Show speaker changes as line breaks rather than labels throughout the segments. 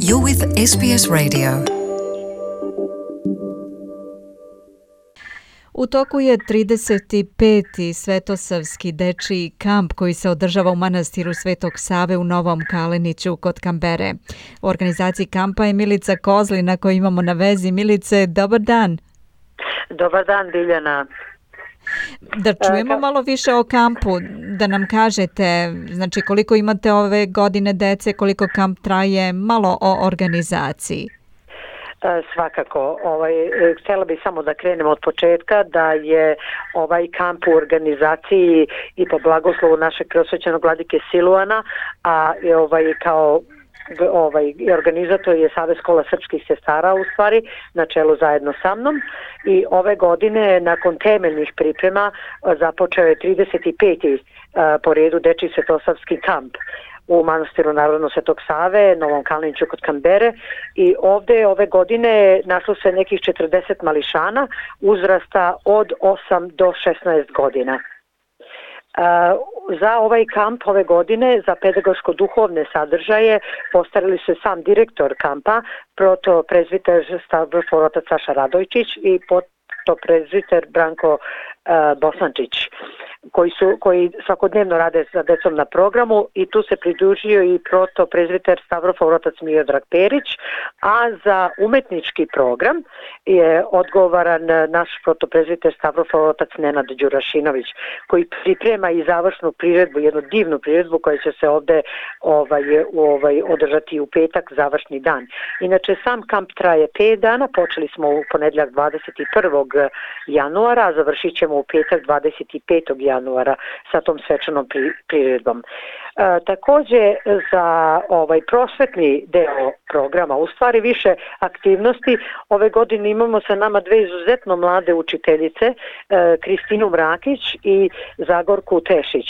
You're with SBS Radio. U toku je 35. Svetosavski dečiji kamp koji se održava u manastiru Svetog Save u Novom Kaleniću kod Kambere. U organizaciji kampa je Milica Kozlina koju imamo na vezi. Milice, dobar dan.
Dobar dan, Biljana.
Da čujemo malo više o kampu, da nam kažete, znači koliko imate ove godine dece, koliko kamp traje, malo o organizaciji.
Svakako, htjela bih samo da krenemo od početka, da je ovaj kamp u organizaciji i po blagoslovu našeg preosvećenog vladike Siluana, a kao organizator je Savez škola srpskih sestara u stvari, na čelu zajedno sa mnom, i ove godine nakon temeljnih priprema započeo je 35. po redu dečiji svetosavski kamp u manastiru Narodno Svetog Save, Novom Kaleniću kod Kambere, i ovdje ove godine našlo se nekih 40 mališana uzrasta od 8 do 16 godina. Za ovaj kamp ove godine, za pedagoško-duhovne sadržaje, postarali se sam direktor kampa, protoprezviter Stavrofor otac Saša Radojčić i protoprezviter Branko Bosančić, koji svakodnevno rade sa decom na programu, i tu se pridružio i protoprezviter Stavrofor otac Miodrag Perić, a za umetnički program je odgovoran naš protoprezviter Stavrofor otac Nenad Đurašinović, koji priprema i završnu priredbu, jednu divnu priredbu koja će se ovdje održati u petak, završni dan. Inače, sam kamp traje 5 dana, počeli smo u ponedjeljak 21. januara, a završit ćemo u petak 25. januara sa tom svečanom priredbom. Također za prosvetni deo programa, u stvari više aktivnosti, ove godine imamo sa nama dve izuzetno mlade učiteljice, Kristinu Mrakić i Zagorku Tešić.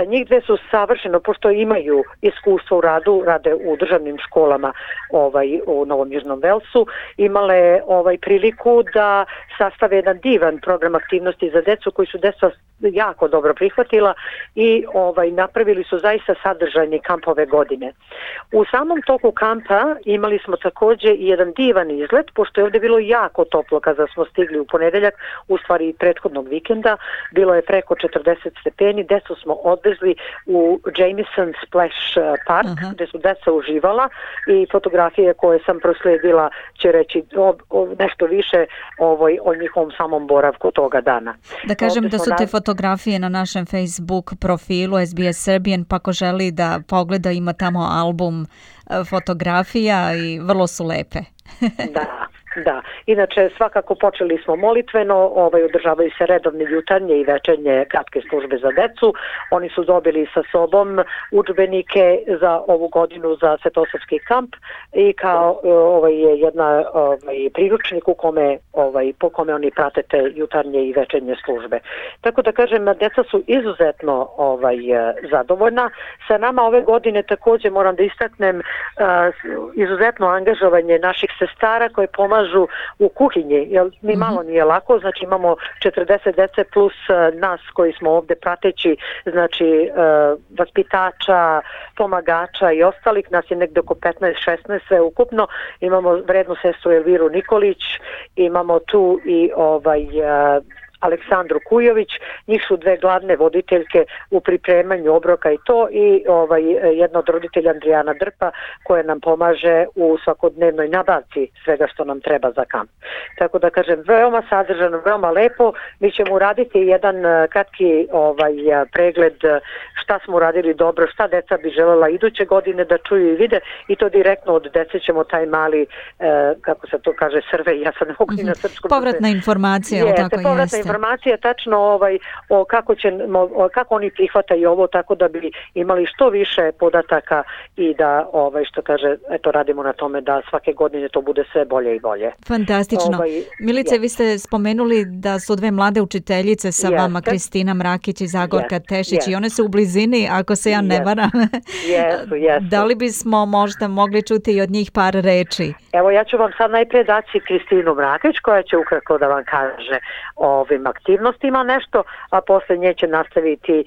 Njih dve su savršeno, pošto imaju iskustvo u radu, rade u državnim školama u Novom Južnom Velsu, imale priliku da sastave jedan divan program aktivnosti za decu koji su deca jako dobro prihvatila i napravili su zaista sadržajni kamp ove godine. U samom toku kampa imali smo također i jedan divan izlet, pošto je ovdje bilo jako toplo kada smo stigli u ponedjeljak, u stvari prethodnog vikenda, bilo je preko 40 stepeni, decu smo odvezli u Jameson Splash Park, gdje su deca uživala, i fotografije koje sam proslijedila će reći nešto više o njihovom samom boravku toga dana.
Da kažem da su te fotografije na našem Facebook profilu SBS Serbian, pa ko želi da pogleda, ima tamo album fotografija i vrlo su lepe.
Da, inače svakako počeli smo molitveno, održavaju se redovne jutarnje i večernje kratke službe za decu. Oni su dobili sa sobom udžbenike za ovu godinu za Svetosavski kamp i kao jedna priručnik po kome oni prate te jutarnje i večernje službe. Tako da kažem, deca su izuzetno zadovoljna. Sa nama ove godine također moram da istaknem izuzetno angažovanje naših sestara koje pomažu u kuhinji, jer ni malo nije lako, znači imamo 40 dece plus nas koji smo ovdje prateći, znači vaspitača, pomagača i ostalih, nas je negdje oko 15-16 sve ukupno. Imamo vrednu sestru Elviru Nikolić, imamo tu i Aleksandru Kujović, njih su dve glavne voditeljke u pripremanju obroka i to, i jedna od roditelja Andrijana Drpa koja nam pomaže u svakodnevnoj nabavci svega što nam treba za kamp. Tako da kažem, veoma sadržano, veoma lepo. Mi ćemo uraditi jedan kratki pregled šta smo uradili dobro, šta deca bi želela iduće godine da čuju i vide, i to direktno od dece ćemo taj mali, kako se to kaže, survey, ja sad ne mogu na srpskom.
Povratna informacija, tako jeste.
Informacija tačno kako oni prihvataju ovo, tako da bi imali što više podataka i da što kaže, eto, radimo na tome da svake godine to bude sve bolje i bolje.
Fantastično. Milice, vi ste spomenuli da su dve mlade učiteljice sa vama, Kristina Mrakić i Zagorka Tešić, i one su u blizini, ako se ja ne varam.
Jesu.
Da li bismo možda mogli čuti i od njih par reči?
Evo, ja ću vam sad najprije dati Kristinu Mrakić koja će ukratko da vam kaže ovim aktivnostima nešto, a posle nje će nastaviti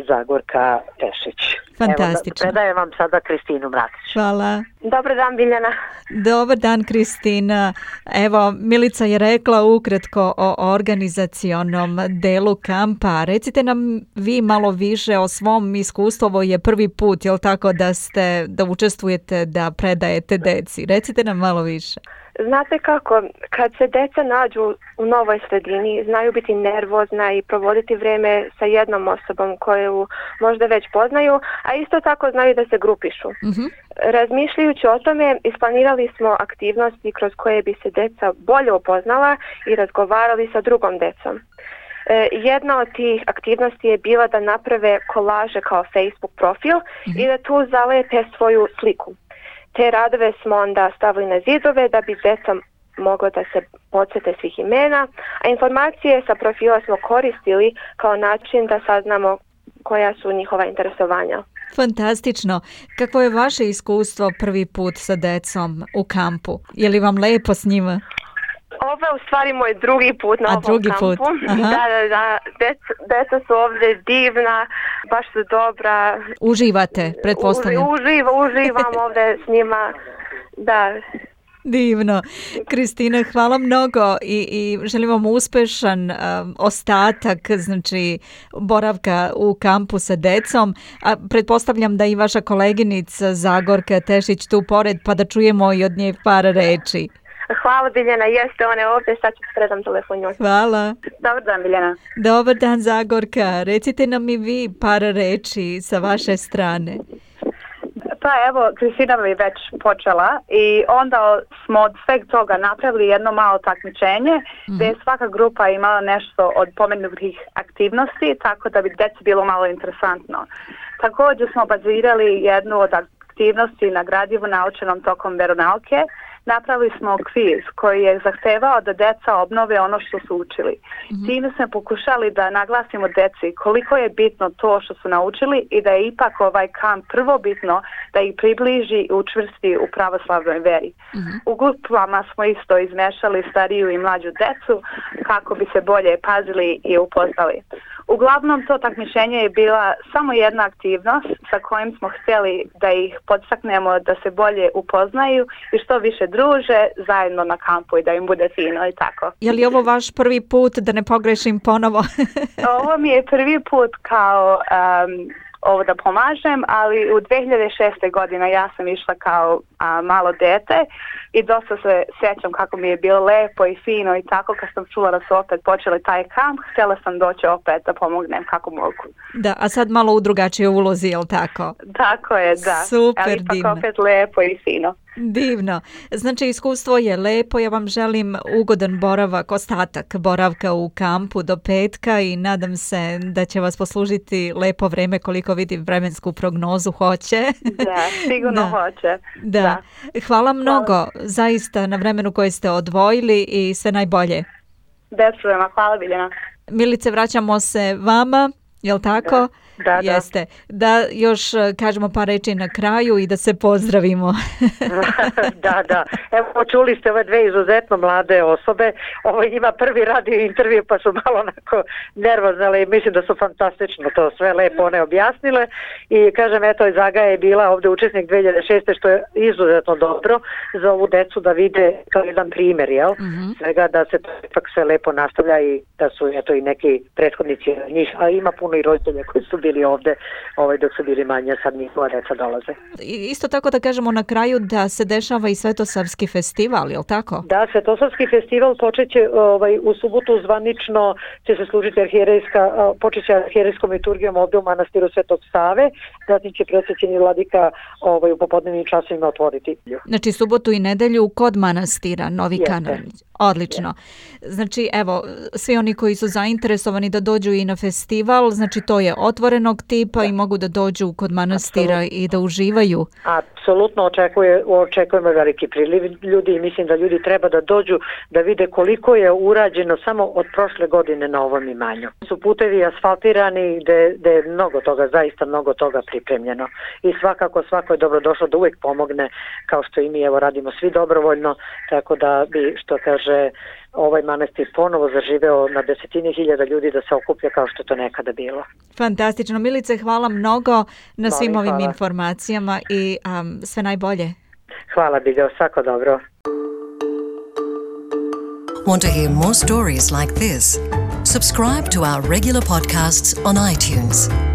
Zagorka Tešić.
Fantastično.
Evo, predajem vam sada Kristinu Mratić.
Hvala.
Dobar dan, Biljana.
Dobar dan, Kristina. Evo, Milica je rekla ukratko o organizacionom delu kampa. Recite nam vi malo više o svom iskustvu. Ovo je prvi put, je li tako, da učestvujete, da predajete deci? Recite nam malo više.
Znate kako, kad se deca nađu u novoj sredini, znaju biti nervozna i provoditi vrijeme sa jednom osobom koju možda već poznaju, a isto tako znaju da se grupišu. Razmišljajući o tome, isplanirali smo aktivnosti kroz koje bi se deca bolje upoznala i razgovarali sa drugom decom. Jedna od tih aktivnosti je bila da naprave kolaže kao Facebook profil i da tu zalepe svoju sliku. Te radove smo onda stavili na zidove da bi deca moglo da se podsjete svih imena, a informacije sa profila smo koristili kao način da saznamo koja su njihova interesovanja.
Fantastično. Kako je vaše iskustvo prvi put sa decom u kampu? Je li vam lepo s njima?
Ovo je u stvari moj drugi put na ovom kampu. Da. Deca su ovdje divna, baš su dobra.
Uživate, pretpostavljam.
Uživam ovdje s njima, da.
Divno. Kristina, hvala mnogo i želim vam uspešan ostatak, znači boravka u kampu sa decom. A pretpostavljam da i vaša koleginica Zagorka Tešić tu pored, pa da čujemo i od nje par reči.
Hvala, Biljana, jeste ona je ovdje, sad ću predam telefon njoj.
Hvala.
Dobar dan, Biljana.
Dobar dan, Zagorka. Recite nam i vi par reči sa vaše strane.
Pa evo, Kristina mi već počela i onda smo od sveg toga napravili jedno malo takmičenje gdje je svaka grupa imala nešto od pomenutih aktivnosti, tako da bi deci bilo malo interesantno. Također smo bazirali jednu od aktivnosti na gradivu naučenom tokom veronauke. Napravili smo kviz koji je zahtevao da deca obnove ono što su učili. Time smo pokušali da naglasimo deci koliko je bitno to što su naučili i da je ipak ovaj kamp prvo bitno da ih približi i učvrsti u pravoslavnoj veri. U grupama smo isto izmešali stariju i mlađu decu kako bi se bolje pazili i upoznali. Uglavnom to takmičenje je bila samo jedna aktivnost sa kojim smo htjeli da ih podstaknemo da se bolje upoznaju i što više druže zajedno na kampu i da im bude fino i tako.
Je li ovo vaš prvi put, da ne pogrešim ponovo?
Ovo mi je prvi put kao ovo da pomažem, ali u 2006. godine ja sam išla kao malo dete i dosta se sjećam kako mi je bilo lepo i fino i tako. Kad sam čula da su opet počeli taj kamp, htjela sam doći opet da pomognem kako mogu.
Da, a sad malo u drugačijoj ulozi, je li tako?
Tako je, da.
Super,
ali ipak
divno.
Opet lepo i fino.
Divno. Znači, iskustvo je lepo. Ja vam želim ugodan boravak, ostatak boravka u kampu do petka i nadam se da će vas poslužiti lepo vreme, koliko vidim vremensku prognozu hoće.
Da, sigurno hoće.
Da. Hvala mnogo zaista na vremenu koje ste odvojili i sve najbolje.
Bez problema. Hvala, Biljana.
Milice, vraćamo se vama, jel tako?
Da.
Jeste. Da još kažemo par reči na kraju i da se pozdravimo.
Da. Evo, čuli ste ove dve izuzetno mlade osobe. Ovo njima prvi radio intervju pa su malo onako nervozne, ali mislim da su fantastično to sve lepo one objasnile. I kažem, eto, Zaga je bila ovdje učesnik 2006. što je izuzetno dobro za ovu decu da vide kao jedan primjer, jel? Svega da se to ipak sve lepo nastavlja i da su eto i neki prethodnici njih, a ima puno i roditelja koji su bili ovdje dok su bili manje, sad njihova deca dolaze.
Isto tako da kažemo na kraju da se dešava i Svetosavski festival, je li tako?
Da, Svetosavski festival počeće u subotu zvanično će se služiti počeće arhijerejskom liturgijom ovdje u manastiru Svetog Save, zatim će preosvećeni vladika u popodnevnim časovima otvoriti.
Znači subotu i nedelju kod manastira Novi Kanalić. Odlično. Znači evo, svi oni koji su zainteresovani da dođu i na festival, znači to je otvorenog tipa i mogu da dođu kod manastira i da uživaju.
Apsolutno očekujemo veliki priliv ljudi i mislim da ljudi treba da dođu da vide koliko je urađeno samo od prošle godine na ovom imanju. Su putevi asfaltirani gde je zaista mnogo toga pripremljeno i svako je dobro došlo da uvijek pomogne kao što i mi radimo svi dobrovoljno, tako da bi, što kaže može ovaj manastir ponovo zaživeo na desetine hiljada ljudi da se okuplja kao što to nekada bilo.
Fantastično. Milice, hvala mnogo na svim ovim informacijama i sve najbolje.
Hvala, Biljana, svako dobro.
Want to hear more stories like this? Subscribe to our regular podcasts on iTunes.